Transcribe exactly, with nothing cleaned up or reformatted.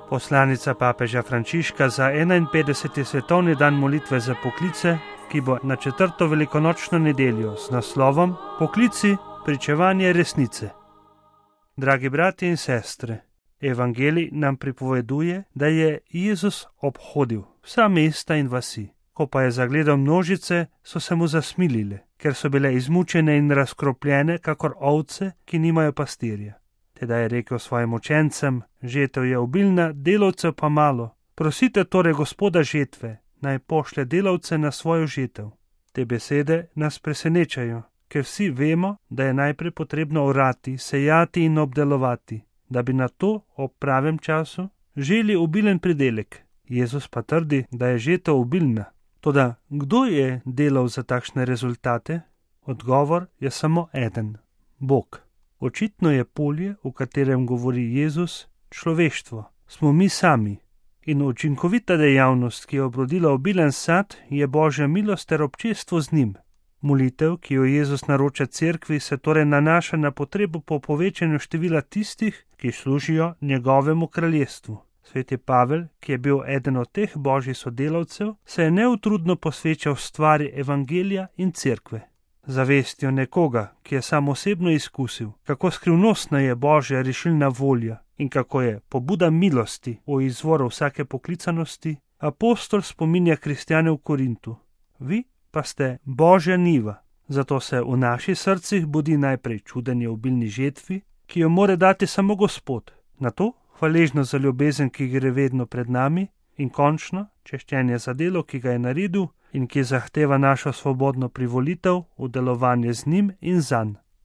Poslanica papeža Frančiška za enainpetdeseti svetovni dan molitve za poklice, ki bo na četrto velikonočno nedeljo z naslovom Poklici pričevanje resnice. Dragi bratje in sestre, Evangelij nam pripoveduje, da je Jezus obhodil vsa mesta in vasi. Ko pa je zagledal množice, so se mu zasmilile, ker so bile izmučene in razkropljene, kakor ovce, ki nimajo pastirja. Teda je rekel svojim učencem: žetev je obilna, delavcev pa malo. Prosite torej Gospoda žetve, naj pošlje delavce na svojo žetev. Te besede nas presenečajo, ker vsi vemo, da je najprej potrebno orati, sejati in obdelovati, da bi na to ob pravem času želi obilen pridelek. Jezus pa trdi, da je žetev obilna. Toda kdo je delal za takšne rezultate? Odgovor je samo eden: Bog. Očitno je polje, v katerem govori Jezus, človeštvo. Smo mi sami. In učinkovita dejavnost, ki je obrodila obilen sad, je Božja milost ter občestvo z njim. Molitev, ki jo Jezus naroča cerkvi, se torej nanaša na potrebo po povečanju števila tistih, ki služijo njegovemu kraljestvu. Sveti Pavel, ki je bil eden od teh božjih sodelavcev, se je neutrudno posvečal stvari evangelija in cerkve. Zavestjo nekoga, ki je sam osebno izkusil, kako skrivnostna je Božja rešilna volja in kako je pobuda milosti o izvoru vsake poklicanosti, apostol spominja kristjane v Korintu. Vi pa ste Božja njiva, zato se v naših srcih budi najprej čudenje obilni žetvi, ki jo more dati samo Gospod, nato hvaležno za ljubezen, ki gre vedno pred nami, in končno češčenje za delo, ki ga je naredil in ki zahteva našo svobodno privolitev v delovanje z njim in zanj.